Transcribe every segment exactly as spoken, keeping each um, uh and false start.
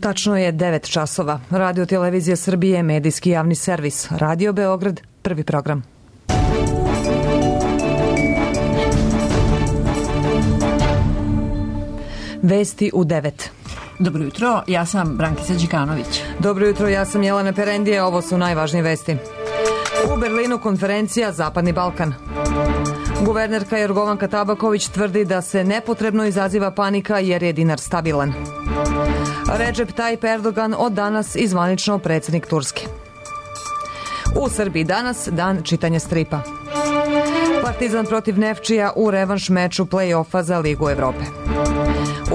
Tačno je devet časova. Radio Televizija Srbije, medijski javni servis. Radio Beograd, prvi program. Vesti u devet. Dobro jutro, ja sam Brankica Đikanović. Dobro jutro, ja sam Jelena Perendije. Ovo su najvažnije vesti. U Berlinu konferencija Zapadni Balkan. Guvernerka Jorgovanka Tabaković tvrdi da se nepotrebno izaziva panika jer je dinar stabilan. Recep Tayyip Erdogan od danas i zvanično predsjednik Turske. U Srbiji danas dan čitanja stripa. Partizan protiv Nefčija u revanš meču play-offa za Ligu Evrope.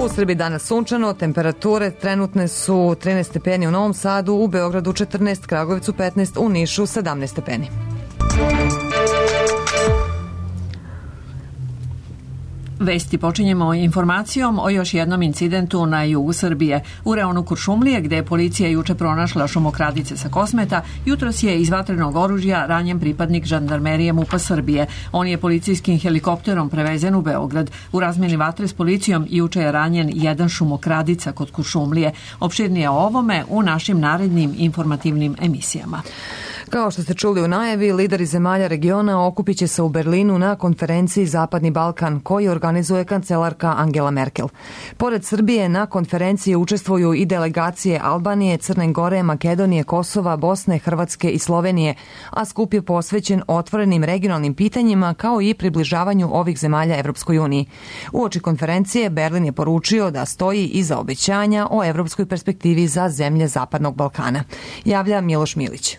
U Srbiji danas sunčano, temperature trenutne su trinaest stepeni u Novom Sadu, u Beogradu četrnaest, Kragujevcu petnaest, u Nišu sedamnaest stepeni. Vesti počinjemo informacijom o još jednom incidentu na jugu Srbije. U reonu Kuršumlije, gde je policija juče pronašla šumokradice sa Kosmeta, jutros je iz vatrenog oružja ranjen pripadnik žandarmerije MUP-a Srbije. On je policijskim helikopterom prevezen u Beograd. U razmjeni vatre s policijom juče je ranjen jedan šumokradica kod Kuršumlije. Opširnije o ovome u našim narednim informativnim emisijama. Kao što ste čuli u najavi, lideri zemalja regiona okupit će se u Berlinu na konferenciji Zapadni Balkan, koji organizuje kancelarka Angela Merkel. Pored Srbije, na konferenciji učestvuju i delegacije Albanije, Crne Gore, Makedonije, Kosova, Bosne, Hrvatske i Slovenije, a skup je posvećen otvorenim regionalnim pitanjima kao i približavanju ovih zemalja Evropskoj uniji. Uoči konferencije Berlin je poručio da stoji iza obećanja o evropskoj perspektivi za zemlje Zapadnog Balkana. Javlja Miloš Milić.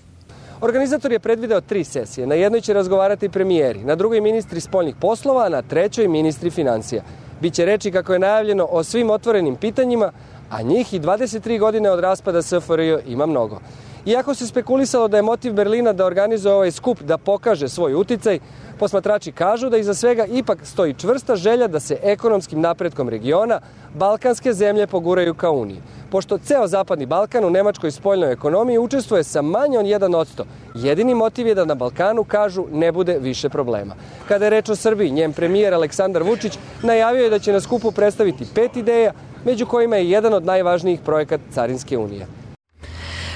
Organizator je predvideo tri sesije. Na jednoj će razgovarati premijeri, na drugoj ministri spoljnih poslova, a na trećoj ministri financija. Biće reči, kako je najavljeno, o svim otvorenim pitanjima, a njih i dvadeset tri godine od raspada S F R J ima mnogo. Iako se spekulisalo da je motiv Berlina da organizuje ovaj skup da pokaže svoj uticaj, posmatrači kažu da iza svega ipak stoji čvrsta želja da se ekonomskim napretkom regiona balkanske zemlje poguraju ka Uniji. Pošto ceo Zapadni Balkan u nemačkoj spoljnoj ekonomiji učestvuje sa manje od jedan posto, jedini motiv je da na Balkanu, kažu, ne bude više problema. Kada je reč o Srbiji, njen premijer Aleksandar Vučić najavio je da će na skupu predstaviti pet ideja, među kojima je jedan od najvažnijih projekat Carinske unije.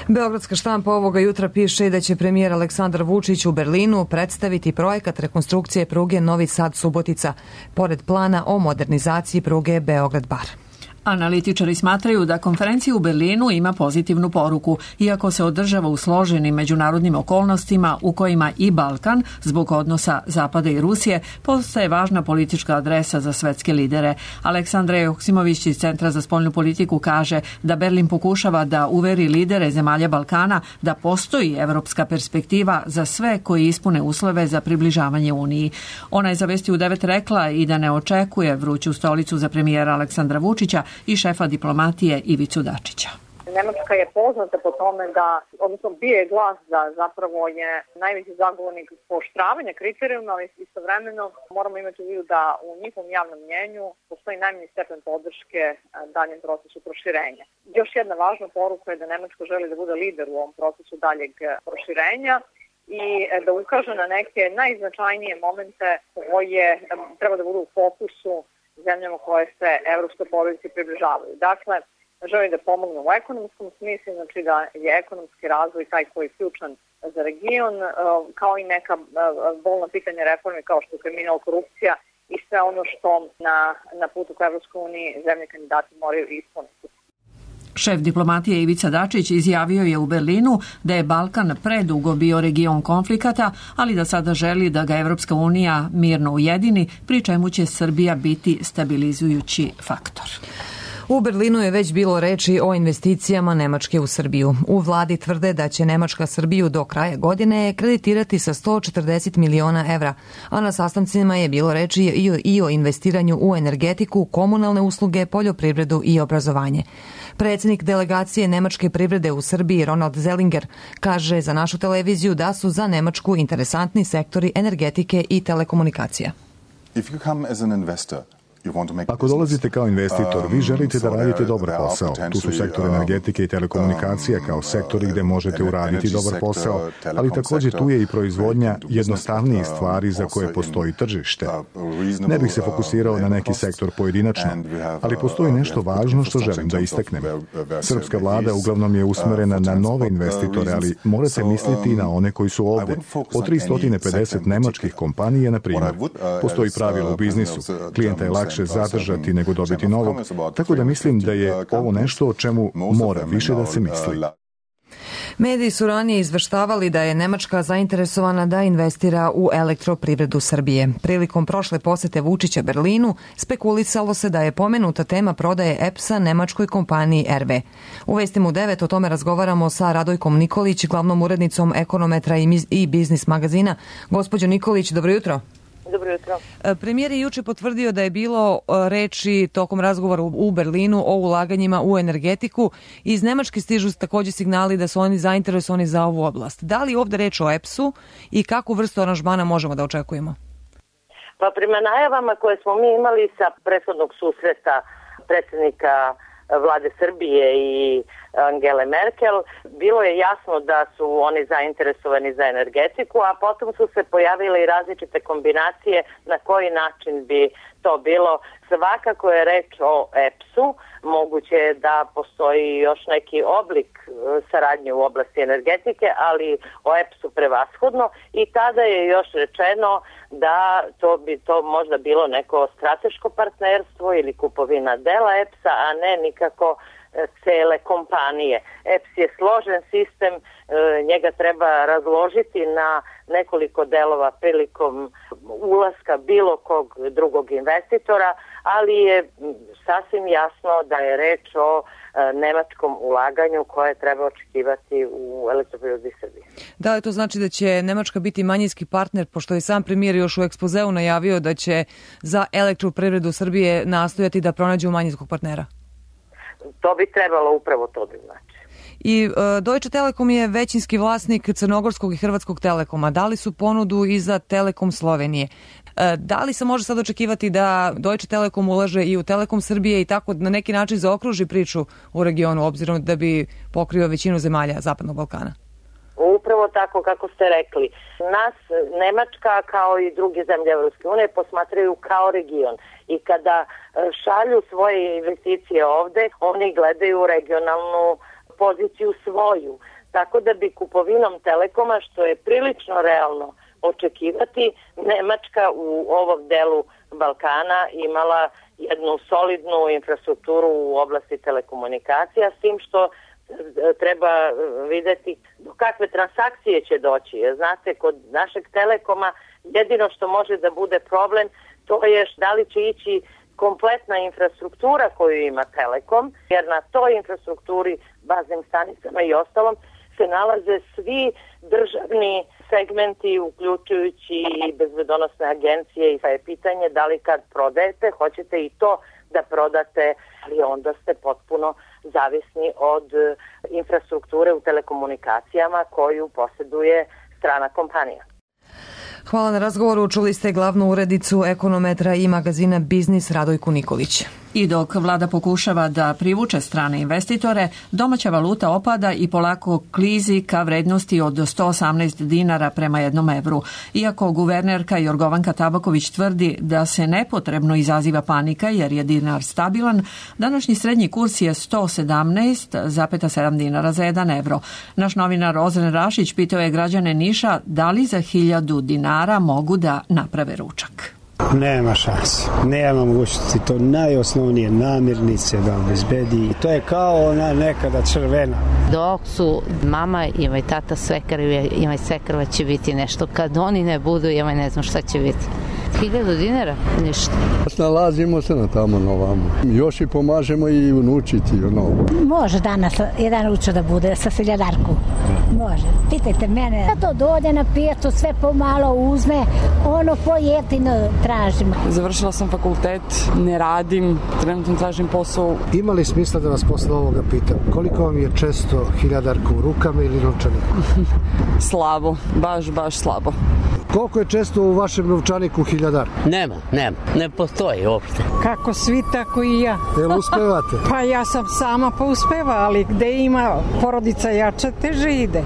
Beogradska štampa ovoga jutra piše da će premijer Aleksandar Vučić u Berlinu predstaviti projekat rekonstrukcije pruge Novi Sad-Subotica, pored plana o modernizaciji pruge Beograd-Bar. Analitičari smatraju da konferencija u Berlinu ima pozitivnu poruku, iako se održava u složenim međunarodnim okolnostima u kojima i Balkan, zbog odnosa Zapada i Rusije, postaje važna politička adresa za svetske lidere. Aleksandra Joksimović iz Centra za spoljnu politiku kaže da Berlin pokušava da uveri lidere zemalja Balkana da postoji evropska perspektiva za sve koji ispune uslove za približavanje Uniji. Ona je za Vesti u devet rekla i da ne očekuje vruću stolicu za premijera Aleksandra Vučića i šefa diplomatije Ivicu Dačića. Nemačka je poznata po tome da, odnosno bije glas da zapravo je najveći zagovornik pooštravanja kriterijuma, ali istovremeno moramo imati u vidu da u njihovom javnom mnjenju postoji najmanji stepen podrške daljem procesu proširenja. Još jedna važna poruka je da Nemačka želi da bude lider u ovom procesu daljeg proširenja i da ukaže na neke najznačajnije momente koje treba da budu u fokusu zemljama koje se evropskoj porodici približavaju. Dakle, želi da pomognu u ekonomskom smislu, znači da je ekonomski razvoj taj koji je ključan za region, kao i neka bolna pitanja reforme kao što je kriminal, korupcija i sve ono što na, na putu ka Evropskoj uniji zemlje kandidati moraju ispuniti. Šef diplomatije Ivica Dačić izjavio je u Berlinu da je Balkan predugo bio region konflikata, ali da sada želi da ga Evropska unija mirno ujedini, pri čemu će Srbija biti stabilizujući faktor. U Berlinu je već bilo reči o investicijama Nemačke u Srbiju. U vladi tvrde da će Nemačka Srbiju do kraja godine kreditirati sa sto četrdeset miliona evra, a na sastancima je bilo reči i o investiranju u energetiku, komunalne usluge, poljoprivredu i obrazovanje. Predsjednik delegacije nemačke privrede u Srbiji Ronald Zellinger kaže za našu televiziju da su za Nemačku interesantni sektori energetike i telekomunikacija. If you come as an investor Ako dolazite kao investitor, vi želite da radite dobar posao. Tu su sektor energetike i telekomunikacija kao sektori gde možete uraditi dobar posao, ali također tu je i proizvodnja jednostavnijih stvari za koje postoji tržište. Ne bih se fokusirao na neki sektor pojedinačno, ali postoji nešto važno što želim da istaknem. Srpska vlada uglavnom je usmerena na nove investitore, ali morate misliti i na one koji su ovde. Po tristo pedeset nemačkih kompanija, na primjer. Postoji pravilo u biznisu. Klijenta je lakše zadržati nego dobiti novog, tako da mislim da je ovo nešto o čemu mora više da se misli. Mediji su ranije izveštavali da je Nemačka zainteresovana da investira u elektroprivredu Srbije. Prilikom prošle posete Vučića Berlinu spekulisalo se da je pomenuta tema prodaje E P S-a nemačkoj kompaniji R W. U Vestima u devet o tome razgovaramo sa Radojkom Nikolić, glavnom urednicom Ekonometra i Biznis magazina. Gospođo Nikolić, dobro jutro. Dobro jutro. Premijer je juče potvrdio da je bilo reči tokom razgovora u Berlinu o ulaganjima u energetiku. Iz Nemačke stižu također signali da su oni zainteresovani za ovu oblast. Da li ovdje reč o E P S-u i kakvu vrstu aranžmana možemo da očekujemo? Pa prema najavama koje smo mi imali sa prethodnog susreta predsjednika vlade Srbije i Angele Merkel, bilo je jasno da su oni zainteresovani za energetiku, a potom su se pojavile i različite kombinacije na koji način bi to bilo. Svakako je reč o E P S-u, moguće je da postoji još neki oblik saradnje u oblasti energetike, ali o E P S-u prevashodno, i tada je još rečeno da to bi to možda bilo neko strateško partnerstvo ili kupovina dela E P S-a, a ne nikako cele kompanije. E P S je složen sistem, njega treba razložiti na nekoliko delova prilikom ulaska bilo kog drugog investitora, ali je sasvim jasno da je reč o nemačkom ulaganju koje treba očekivati u elektroprivredi Srbije. Da li to znači da će Nemačka biti manjinski partner, pošto je sam premijer još u ekspozeu najavio da će za elektroprivredu Srbije nastojati da pronađu manjinskog partnera? To bi trebalo upravo to da znači. I uh, Deutsche Telekom je većinski vlasnik Crnogorskog i Hrvatskog Telekoma. Dali su ponudu i za Telekom Slovenije. Uh, da li se može sad očekivati da Deutsche Telekom ulaže i u Telekom Srbije i tako na neki način zaokruži priču u regionu, obzirom da bi pokrio većinu zemalja Zapadnog Balkana? Upravo tako kako ste rekli. Nas Nemačka kao i druge zemlje Evropske unije posmatraju kao region i kada šalju svoje investicije ovde, oni gledaju regionalnu poziciju svoju. Tako da bi kupovinom Telekoma, što je prilično realno očekivati, Nemačka u ovom delu Balkana imala jednu solidnu infrastrukturu u oblasti telekomunikacija, s tim što treba videti do kakve transakcije će doći. Znate, kod našeg Telekoma jedino što može da bude problem, to je da li će ići kompletna infrastruktura koju ima Telekom, jer na toj infrastrukturi, baznim stanicama i ostalom, se nalaze svi državni segmenti, uključujući i bezbedonosne agencije, i pa je pitanje da li kad prodajete, hoćete i to da prodate, ali onda ste potpuno zavisni od infrastrukture u telekomunikacijama koju posjeduje strana kompanija. Hvala na razgovoru. Čuli ste glavnu urednicu Ekonometra i magazina Biznis Radojku Nikolić. I dok vlada pokušava da privuče strane investitore, domaća valuta opada i polako klizi ka vrednosti od sto osamnaest dinara prema jednom evru. Iako guvernerka Jorgovanka Tabaković tvrdi da se nepotrebno izaziva panika jer je dinar stabilan, današnji srednji kurs je sto sedamnaest zarez sedam dinara za jedan evro. Naš novinar Ozren Rašić pitao je građane Niša da li za hiljadu dinara mogu da naprave ručak. Nema šanse, nema mogućnosti, to najosnovnije namirnice da obezbedi. To je kao ona nekada crvena. Dok su mama i moj tata svekrve, i moj svekrva će biti nešto. Kad oni ne budu, ja ne znam šta će biti. Hiljadu dinara? Ništa. Nalazimo se na tamo na ovamo. Još i pomažemo i unučiti. Ono. Može danas jedan ručak da bude sa seljadarku. Može. Pitajte mene. To dođe na pijacu, sve pomalo uzme, ono po jetinu tražimo. Završila sam fakultet, ne radim, trenutno tražim posao. Ima li smisla da vas posle ovoga pitam? Koliko vam je često hiljadarka u rukama ili novčanika? Slabo, baš, baš slabo. Koliko je često u vašem novčaniku hiljadar? Nema, nema, ne postoji uopšte. Kako svi, tako i ja. Jel uspevate? Pa ja sam sama pa uspeva, ali gde ima porodica jača, teže ide.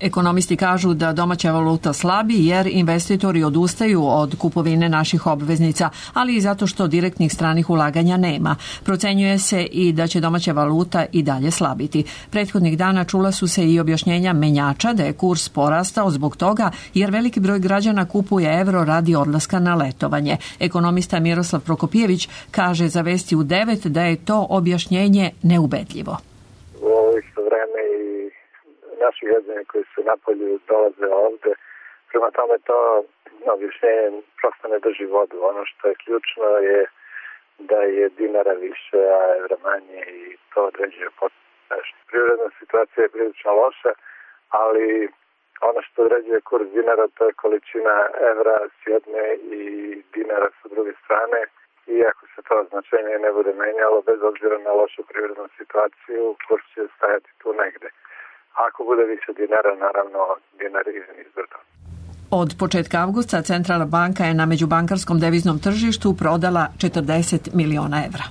Ekonomisti kažu da domaća valuta slabi jer investitori odustaju od kupovine naših obveznica, ali i zato što direktnih stranih ulaganja nema. Procenjuje se i da će domaća valuta i dalje slabiti. Prethodnih dana čula su se i objašnjenja menjača da je kurs porastao zbog toga jer veliki broj građana kupuje evro radi odlaska na letovanje. Ekonomista Miroslav Prokopijević kaže za Vesti u devet da je to objašnjenje neubedljivo. Naši građani koji su napolju dolaze ovde. Prema tome to objašnjenje prosto ne drži vodu. Ono što je ključno je da je dinara više, a evra manje i to određuje potpuno. Privredna situacija je prilično loša, ali ono što određuje kurs dinara to je količina evra s jedne i dinara sa druge strane. I ako se to značenje ne bude menjalo, bez obzira na lošu privrednu situaciju, kurs će stajati tu negde. Ako bude više dinara, naravno, dinar je izbrdo. Od početka avgusta Centralna banka je na međubankarskom deviznom tržištu prodala četrdeset miliona evra.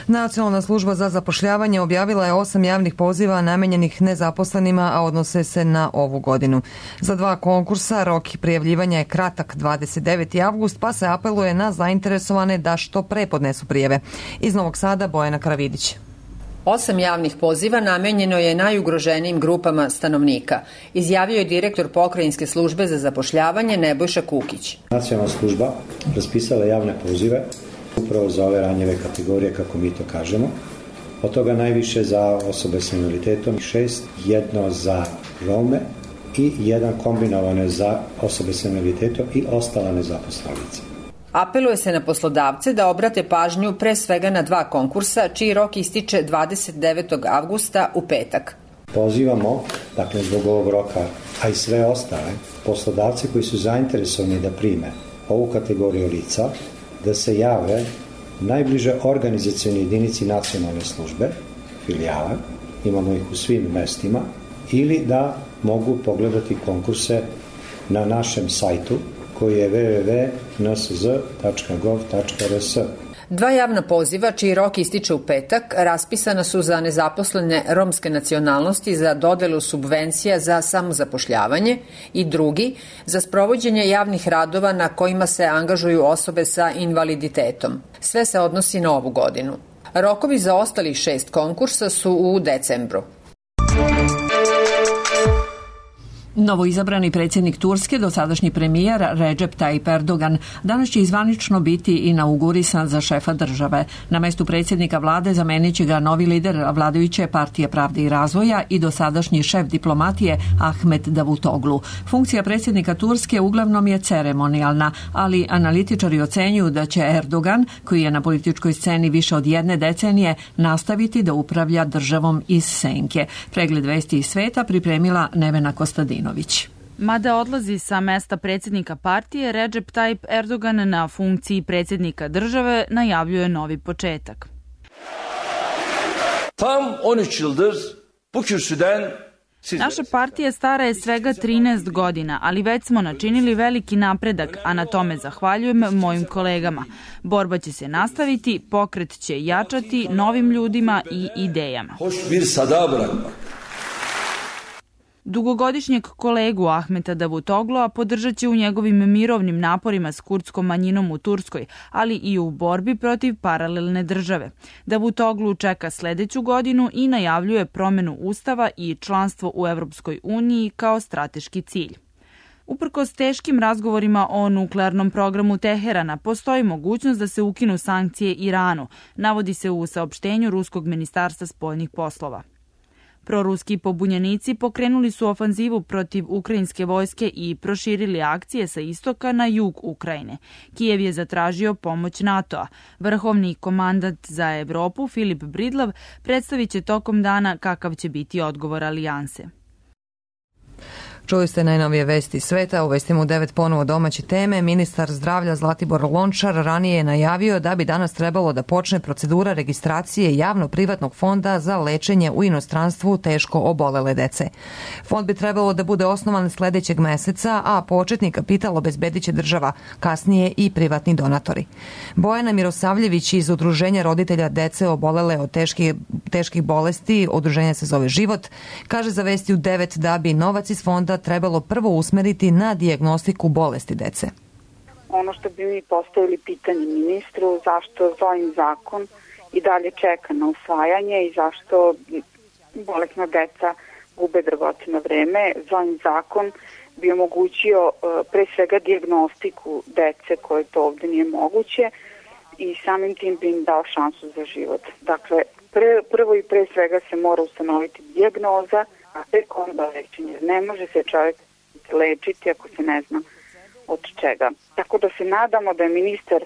Nacionalna služba za zapošljavanje objavila je osam javnih poziva namenjenih nezaposlenima, a odnose se na ovu godinu. Za dva konkursa rok prijavljivanja je kratak dvadeset deveti avgust, pa se apeluje na zainteresovane da što pre podnesu prijave. Iz Novog Sada Bojana Karavidić. Osam javnih poziva namenjeno je najugroženijim grupama stanovnika, izjavio je direktor Pokrajinske službe za zapošljavanje Nebojša Kukić. Nacionalna služba raspisala javne pozive upravo za ove ranjive kategorije, kako mi to kažemo. Od toga najviše za osobe s invaliditetom, šest, jedno za Rome i jedan kombinovane za osobe s invaliditetom i ostala nezaposlena lica. Apeluje se na poslodavce da obrate pažnju pre svega na dva konkursa, čiji rok ističe dvadeset devetog avgusta u petak. Pozivamo, dakle zbog ovog roka, a i sve ostale, poslodavce koji su zainteresovani da prime ovu kategoriju lica, da se jave najbliže organizacioni jedinici nacionalne službe, filijale, imamo ih u svim mestima, ili da mogu pogledati konkurse na našem sajtu koji je w w w tačka n s z tačka gov tačka r s. Dva javna poziva, čiji rok ističe u petak, raspisana su za nezaposlene romske nacionalnosti za dodelu subvencija za samozapošljavanje i drugi za sprovođenje javnih radova na kojima se angažuju osobe sa invaliditetom. Sve se odnosi na ovu godinu. Rokovi za ostalih šest konkursa su u decembru. Novoizabrani predsjednik Turske, dosadašnji premijer Recep Tayyip Erdogan, danas će izvanično biti inaugurisan za šefa države. Na mestu predsjednika vlade zamenit će ga novi lider vladajuće partije Pravde i razvoja i dosadašnji šef diplomatije Ahmet Davutoglu. Funkcija predsjednika Turske uglavnom je ceremonijalna, ali analitičari ocenjuju da će Erdogan, koji je na političkoj sceni više od jedne decenije, nastaviti da upravlja državom iz senke. Pregled vesti iz sveta pripremila Nevena Kostadin. Mada odlazi sa mesta predsjednika partije, Recep Tayyip Erdogan na funkciji predsjednika države najavljuje novi početak. Tam on üç yıldır bu kürsüden Naša partija stara je svega trinaest godina, ali već smo načinili veliki napredak, a na tome zahvaljujem mojim kolegama. Borba će se nastaviti, pokret će jačati novim ljudima i idejama. Hoş bir sada bırakmak. Dugogodišnjeg kolegu Ahmeta Davutoglua podržat će u njegovim mirovnim naporima s kurdskom manjinom u Turskoj, ali i u borbi protiv paralelne države. Davutoglu čeka sledeću godinu i najavljuje promenu ustava i članstvo u Evropskoj uniji kao strateški cilj. Uprkos teškim razgovorima o nuklearnom programu Teherana, postoji mogućnost da se ukinu sankcije Iranu, navodi se u saopštenju Ruskog ministarstva spoljnih poslova. Proruski pobunjenici pokrenuli su ofanzivu protiv ukrajinske vojske i proširili akcije sa istoka na jug Ukrajine. Kijev je zatražio pomoć NATO-a. Vrhovni komandant za Evropu Filip Bridlav predstavit će tokom dana kakav će biti odgovor alijanse. Čuli ste najnovije vesti sveta, u vestima u devet ponovo domaće teme. Ministar zdravlja Zlatibor Lončar ranije je najavio da bi danas trebalo da počne procedura registracije javno-privatnog fonda za lečenje u inostranstvu teško obolele dece. Fond bi trebalo da bude osnovan sledećeg meseca, a početni kapital obezbedit će država, kasnije i privatni donatori. Bojana Mirosavljević iz Udruženja roditelja dece obolele od teških, teških bolesti, udruženje se zove Život, kaže za vesti u devet da bi novac iz fonda trebalo prvo usmeriti na dijagnostiku bolesti dece. Ono što bi mi postavili pitanje ministru, zašto ovim zakon i dalje čeka na usvajanje i zašto bolesna deca gube dragoceno vreme. Ovim zakon bi omogućio pre svega dijagnostiku dece koje to ovde nije moguće i samim tim bi im dao šansu za život. Dakle, pre, prvo i pre svega se mora ustanoviti dijagnoza, a tek onda lečenje. Ne može se čovjek lečiti ako se ne zna od čega. Tako da se nadamo da je ministar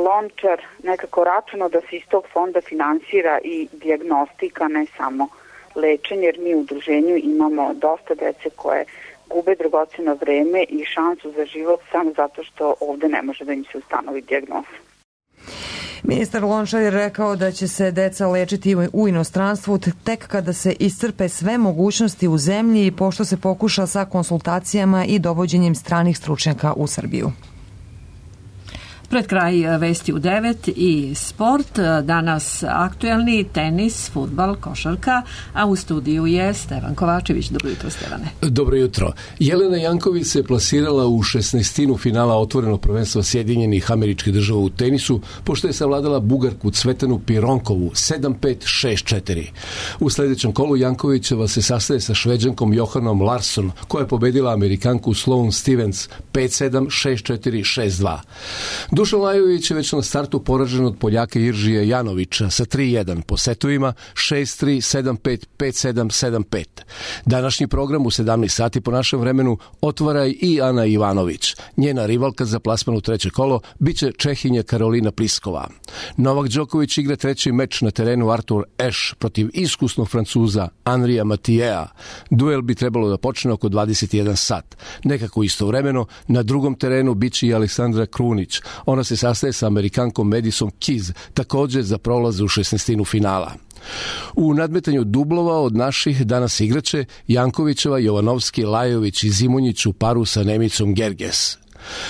Lončar nekako računao da se iz tog fonda finansira i dijagnostika, ne samo lečenje, jer mi u udruženju imamo dosta dece koje gube dragoceno vreme i šansu za život samo zato što ovde ne može da im se ustanovi dijagnoza. Ministar Lončar je rekao da će se deca lečiti u inostranstvu tek kada se iscrpe sve mogućnosti u zemlji i pošto se pokuša sa konsultacijama i dovođenjem stranih stručnjaka u Srbiju. Pred kraj vesti u devet i sport, danas aktuelni tenis, fudbal, košarka, a u studiju je Stevan Kovačević. Dobro jutro, Stevane. Dobro jutro. Jelena Janković se plasirala u šesnaestinu finala otvorenog prvenstva Sjedinjenih Američkih Država u tenisu, pošto je savladala Bugarku Cvetanu Pironkovu sedam pet šest četiri. U sledećem kolu Jankovićeva se sastaje sa Šveđankom Johanom Larsson, koja je pobedila Amerikanku Sloane Stevens pet sedam šest četiri šest dva. Dušan Lajović je već na startu poražen od Poljaka Iržija Janovića sa tri jedan po setovima šest tri, sedam pet, pet sedam, sedam pet. Današnji program u sedamnaest sati po našem vremenu otvara i Ana Ivanović. Njena rivalka za plasman u treće kolo biće Čehinja Karolina Pliskova. Novak Đoković igra treći meč na terenu Artur Ashe protiv iskusnog Francuza Andrija Matijea. Duel bi trebalo da počne oko dvadeset jedan sat. Nekako istovremeno na drugom terenu biće i Aleksandra Krunić. Ona se sastaje sa Amerikankom Madison Keys, također za prolaz u šesnaestinu finala. U nadmetanju dublova od naših danas igraće Jankovićeva, Jovanovski, Lajović i Zimonjić u paru sa Nemicom Gerges.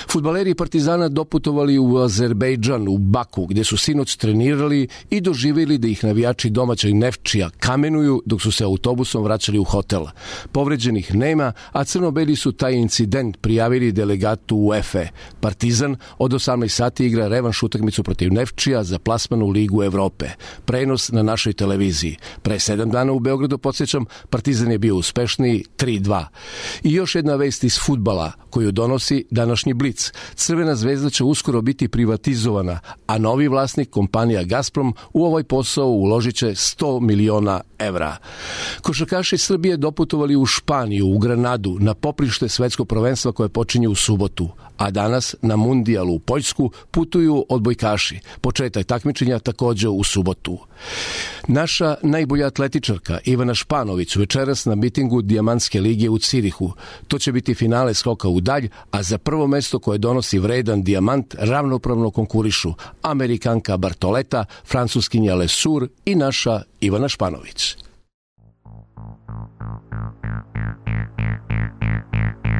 Fudbaleri Partizana doputovali u Azerbejdžan, u Baku, gdje su sinoć trenirali i doživjeli da ih navijači domaćeg Nefčija kamenuju dok su se autobusom vraćali u hotel. Povređenih nema, a crno-beli su taj incident prijavili delegatu UEFA. Partizan od osamnaest sati igra revanš utakmicu protiv Nefčija za plasman u Ligu Evrope. Prenos na našoj televiziji. Pre sedam dana u Beogradu, podsjećam, Partizan je bio uspešniji tri dva. I još jedna vest iz fudbala koju donosi današnji Blic. Crvena zvezda će uskoro biti privatizovana, a novi vlasnik, kompanija Gazprom, u ovaj posao uložit će sto miliona evra. Košarkaši Srbije doputovali u Španiju, u Granadu, na poprište svetskog prvenstva koje počinje u subotu, a danas na mundijalu u Poljsku putuju odbojkaši. Početak takmičenja također u subotu. Naša najbolja atletičarka Ivana Španović večeras na mitingu Dijamantske lige u Cirihu. To će biti finale skoka u dalj, a za prvo mesto koje donosi vredan dijamant ravnopravno konkurišu Amerikanka Bartoleta, Francuskinja Lesur i naša Ivana Španović.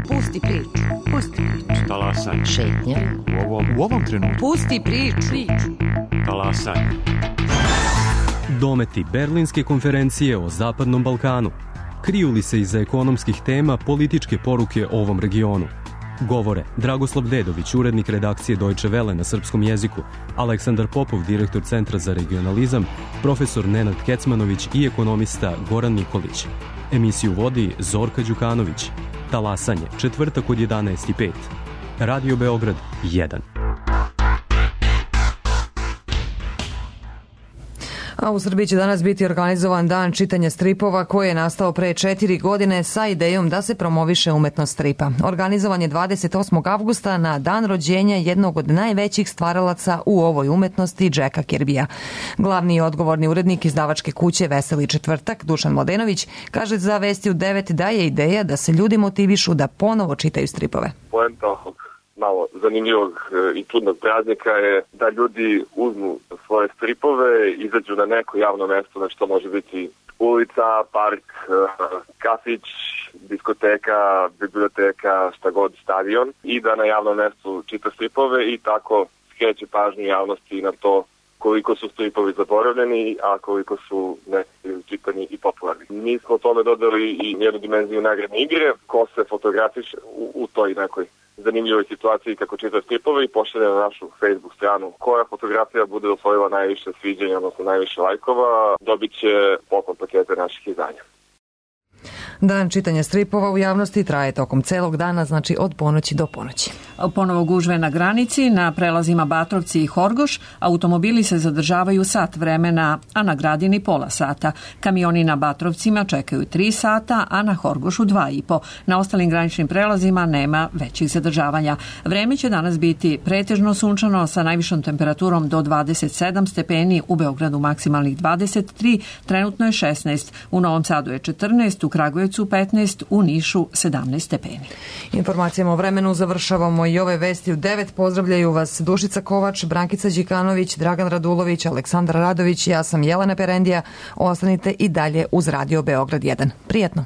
Pusti priču. Pusti priču. Talasaj. Šetnja. U ovom, u ovom trenutku. Pusti priču. Talasaj. Dometi Berlinske konferencije o Zapadnom Balkanu. Kriju li se iza ekonomskih tema političke poruke o ovom regionu? Govore Dragoslav Dedović, urednik redakcije Deutsche Welle na srpskom jeziku, Aleksandar Popov, direktor Centra za regionalizam, profesor Nenad Kecmanović i ekonomista Goran Nikolić. Emisiju vodi Zorka Đukanović. Talasanje, četvrtak od jedanaest i pet. Radio Beograd jedan. A u Srbiji će danas biti organizovan dan čitanja stripova koji je nastao pre četiri godine sa idejom da se promoviše umetnost stripa. Organizovan je dvadeset osmog avgusta na dan rođenja jednog od najvećih stvaralaca u ovoj umetnosti, Jacka Kirbija. Glavni i odgovorni urednik izdavačke kuće Veseli četvrtak, Dušan Mladenović, kaže za Vesti u devet da je ideja da se ljudi motivišu da ponovo čitaju stripove. Poenta ovog malo zanimljivog i čudnog praznika je da ljudi uzmu svoje stripove, izađu na neko javno mesto, znači to može biti ulica, park, kafić, diskoteka, biblioteka, šta god, stadion, i da na javnom mestu čita stripove i tako skreće pažnju javnosti na to koliko su stripovi zaboravljeni, a koliko su neki čitani i popularni. Mi smo tome dodali i jednu dimenziju nagradne igre, ko se fotografiše u, u toj nekoj zanimljivoj situaciji kako čita stripove i pošalje na našu Facebook stranu. Koja fotografija bude osvojila najviše sviđanja, odnosno najviše lajkova, dobit će poklon pakete naših izdanja. Dan čitanja stripova u javnosti traje tokom celog dana, znači od ponoći do ponoći. Ponovo gužve na granici, na prelazima Batrovci i Horgoš, automobili se zadržavaju sat vremena, a na Gradini pola sata. Kamioni na Batrovcima čekaju tri sata, a na Horgošu dva i po. Na ostalim graničnim prelazima nema većih zadržavanja. Vreme će danas biti pretežno sunčano sa najvišom temperaturom do dvadeset sedam stepeni, u Beogradu maksimalnih dvadeset tri, trenutno je šesnaest, u Novom Sadu je četrnaest, u Kragujevcu petnaest, u Nišu sedamnaest stepeni. Informacijama o vremenu završavamo i ove Vesti u devet. Pozdravljaju vas Dušica Kovač, Brankica Đikanović, Dragan Radulović, Aleksandar Radović, ja sam Jelena Perendija. Ostanite i dalje uz Radio Beograd jedan. Prijetno!